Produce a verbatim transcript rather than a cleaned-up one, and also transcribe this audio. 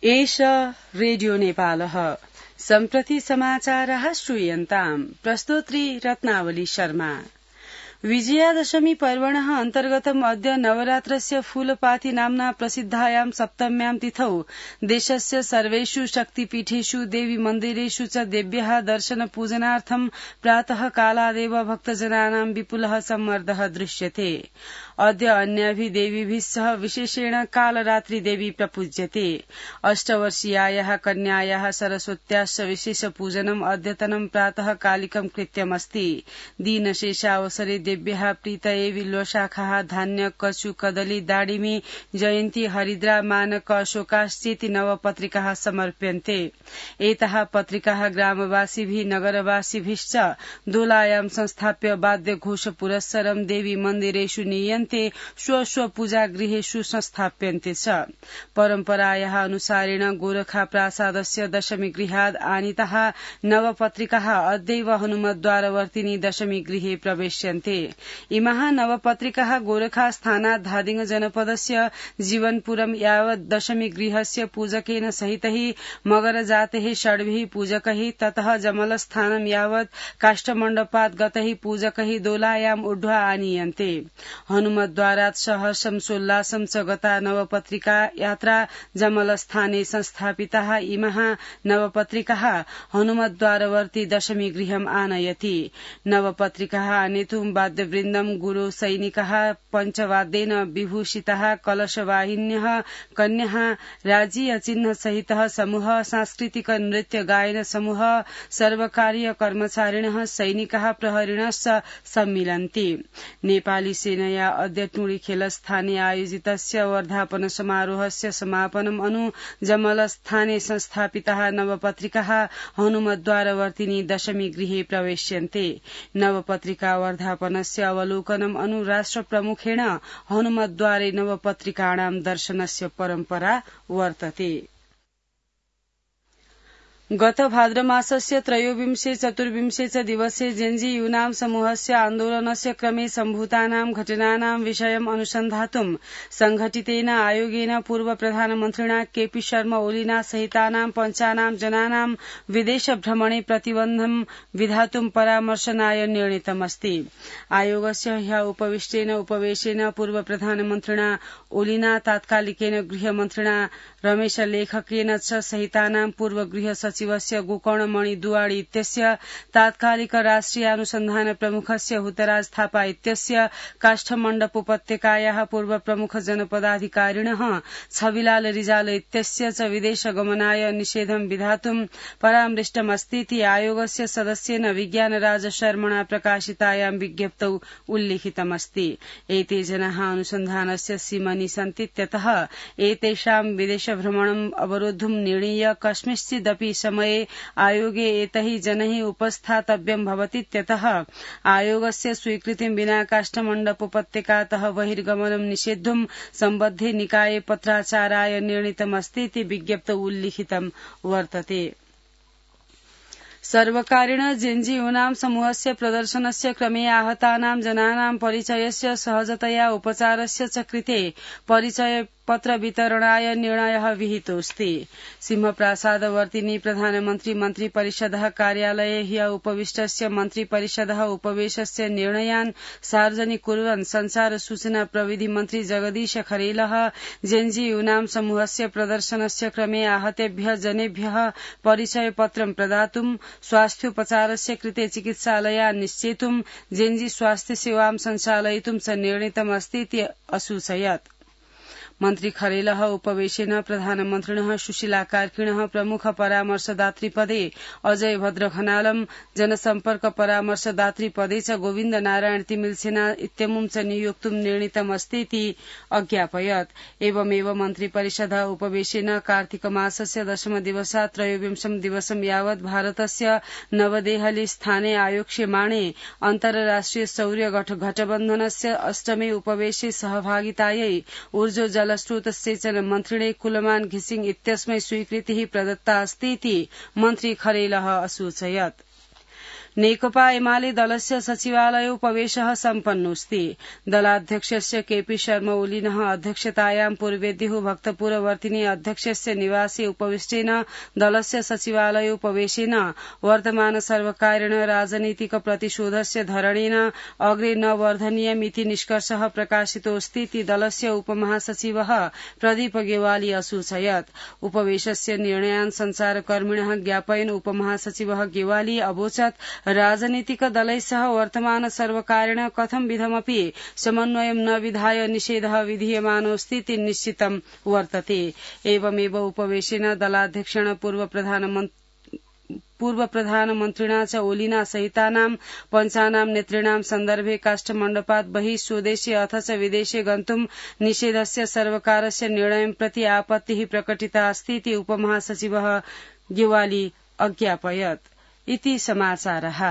एष रेडियो नेपालः सम्प्रति समाचारः श्रूयन्ताम् प्रस्तोत्री रत्नावली शर्मा। विजयादशमी पर्वणः अन्तर्गतम् अद्य नवरात्रस्य फूलपाती नाम्ना प्रसिद्धायां सप्तम्यां तिथौ देशस्य सर्वेषु शक्तिपीठेषु देवी मन्दिरेषु च देव्याः दर्शन पूजनार्थं प्रातः कालादेव भक्तजनानां विपुलः सम्मर्दः दृश्यते। अद्य अन्याभिः देवीभिः सह विशेषेण कालरात्रि देवी प्रपूज्यते। अष्टवर्षीयायाः कन्यायाः सरस्वत्याश्च विशेष पूजनम् अद्यतनं प्रातः कालिकं कृत्यमस्ति। दीनशेषावसरे देव्याः प्रीतये बिल्वशाखाः धान्य कचु कदली दाडिमी जयन्ती हरिद्रा मानक अशोकाश्चेति नवपत्रिकाः समर्प्यन्ते। एताः पत्रिकाः ग्रामवासिभिः नगरवासिभिश्च दोलायां संस्थाप्य वाद्यघोष पुरस्सरं देवी मन्दिरेषु नीयन्ते स्व स्व पूजागृहेषु संस्थाप्यन्ते च। परम्परायाः अनुसारेण गोरखा प्रासादस्य दशमी गृहाद् आनीताः नवपत्रिकाः अद्यैव हनुमद्वारवर्तिनी दशमी गृहे प्रवेश्यन्ते। इमाः नवपत्रिकाः गोरखास्थानात् धादिङ जनपदस्य जीवनपुरं यावत् दशमी गृहस्य पूजकेन सहितैः मगरजातेः षड्भिः पूजकैः ततः जमलस्थानं यावत् काष्ठमण्डपात् गतैः पूजकैः दोलायाम् ऊढ्वा आनीयन्ते। हनुमद्वारात् सहर्षं सोल्लासं च गता नवपत्रिका यात्रा जमलस्थाने संस्थापिताः इमाः नवपत्रिकाः हनुमद्वारवर्ती दशमी गृहम् आनयति। नवपत्रिकाः आनेतुं वाद्यवृन्दं गुरु सैनिकाः पञ्चवाद्येन विभूषिताः कलशवाहिन्यः कन्याः राज्यीय चिह्न सहितः समूह सांस्कृतिक नृत्य गायन समूह सर्वकारीय कर्मचारिणः सैनिकाः प्रहरिणश्च सम्मिलन्ति। नेपाली सेनया अद्य टुंडीखेलस्थाने आयोजितस्य वर्धापन समारोहस्य समापनम् अनु जमलस्थाने संस्थापिताः नवपत्रिकाः हनुमद्वारवर्तिनी दशमी गृहे प्रवेश्यन्ते। नवपत्रिका वर्धापनस्य अवलोकनम् अनु राष्ट्रप्रमुखेण हनुमद्वारे नवपत्रिकाणां दर्शनस्य परम्परा वर्तते। गत भाद्रमासस्य त्रयोविंशे चतुर्विंशे च दिवसे जेन्जी यूनां समूहस्य आन्दोलनस्य क्रमे सम्भूतानां घटनानां विषयम् अनुसन्धातुं संघटितेन आयोगेन पूर्व प्रधानमन्त्रिणा केपी शर्मा ओलीना सहितानां पञ्चानां जनानां विदेश भ्रमणे प्रतिबन्धं विधातुं परामर्शनाय निर्णीतमस्ति। आयोगस्य ह्यः उपविष्टेन उपवेशेन पूर्व प्रधानमन्त्रिणा ओलीना तात्कालिकेन गृहमन्त्रिणा रमेश लेखकेन च सहितानां पूर्व गृह सचिवस्य गोकर्णमणि दुवाडी इत्यस्य तात्कालिक राष्ट्रिय अनुसन्धान प्रमुखस्य हुतराज थापा इत्यस्य काष्ठमण्डप उपत्यकायाः पूर्व प्रमुख जनपदाधिकारिणः छविलाल रिजाल इत्यस्य च विदेश गमनाय निषेधं विधातुं परामृष्टमस्तीति आयोगस्य सदस्येन विज्ञानराज शर्मणा प्रकाशितायां विज्ञप्तौ उल्लिखितमस्ति। एते जनाः अनुसन्धानस्य सीमनि सन्तीत्यतः एतेषां विदेशभ्रमणम् अवरोद्धुं निर्णीय कस्मिंश्चिदपि समये आयोगे एतैः जनैः उपस्थातव्यं भवतीत्यतः आयोगस्य स्वीकृतिं विना काष्ठमण्डप उपत्यकातः बहिर्गमनं निषेद्धुं सम्बद्धे निकाये पत्राचाराय निर्णीतमस्तीति विज्ञप्तौ उल्लिखितं वर्तते। सर्वकारेण जेन्जी यूनां समूहस्य प्रदर्शनस्य क्रमे आहतानां जनानां परिचयस्य सहजतया उपचारस्य च कृते परिचय पत्र वितरणाय निर्णयः विहितोऽस्ति। सिंहप्रासादवर्तिनी प्रधानमन्त्री मन्त्री परिषदः कार्यालये ह्यः उपविष्टस्य मन्त्री परिषदः उपवेशस्य निर्णयान् सार्वजनिक कुर्वन् संचार सूचना प्रविधि मन्त्री जगदीश खरेलः जेन्जी यूनां समूहस्य प्रदर्शनस्य क्रमे आहतेभ्यः जनेभ्यः परिचय पत्रं प्रदातुं स्वास्थ्योपचारस्य कृते चिकित्सालयान् निश्चेतुं जेन्जी स्वास्थ्य सेवां सञ्चालयितुं च निर्णीतमस्तीति असूचयत्। मन्त्री खरेलः उपवेशेन प्रधानमन्त्रिणः सुशीला कार्कीणः प्रमुख परामर्शदात्री पदे अजय भद्र खनालम् जनसम्पर्क परामर्शदात्री पदे च गोविन्द नारायण तिमिलसेना इत्यमुं च नियोक्तुं निर्णीतमस्तीति अज्ञापयत्। एवमेव मन्त्री परिषदः उपवेशेन कार्तिक मासस्य दशम दिवसात् त्रयोविंशं दिवसं यावत् भारतस्य नवदेहली स्थाने आयोक्ष्यमाणे अन्तर्राष्ट्रिय सौर्य गठबन्धनस्य अष्टमे उपवेशे सहभागितायै ऊर्जो जलस्रोत सेचन मन्त्रिणे कुलमान घिसिङ इत्यस्मै स्वीकृतिः प्रदत्ता अस्तीति मन्त्री खरेलः असूचयत्। नेकपा एमाले दलस्य सचिवालय उपवेशः सम्पन्नोऽस्ति। दलाध्यक्षस्य केपी शर्मा ओलिनः अध्यक्षतायां पूर्वेद्युः भक्तपुरवर्तिनी अध्यक्षस्य निवासे उपविष्टेन दलस्य सचिवालय उपवेशेन वर्तमान सर्वकारेण राजनीतिक प्रतिशोधस्य धरणेन अग्रे न वर्धनीयमिति निष्कर्षः प्रकाशितोऽस्ति इति दलस्य उपमहासचिवः प्रदीप गेवाली असूचयत्। उपवेशस्य निर्णयान् संचारकर्मिणः ज्ञापयन् उपमहासचिवः गेवाली अवोचत् राजनीतिक दलैः सह वर्तमान सर्वकारेण कथं विधमपि समन्वयं न विधाय निषेधः विधीयमानोऽस्ति इति निश्चितं वर्तते। एवमेव उपवेशेन दलाध्यक्षेण पूर्व प्रधानमन्त्री पूर्व प्रधानमन्त्रिणा च ओलिना सहितानां पञ्चानां नेतॄणां सन्दर्भे काष्ठमण्डपात् बहिः स्वदेशे अथ च विदेशे गन्तुं निषेधस्य सर्वकारस्य निर्णयं प्रति आपत्तिः प्रकटिता अस्ति इति उपमहासचिवः गेवाली अज्ञापयत्। इति समाचारः।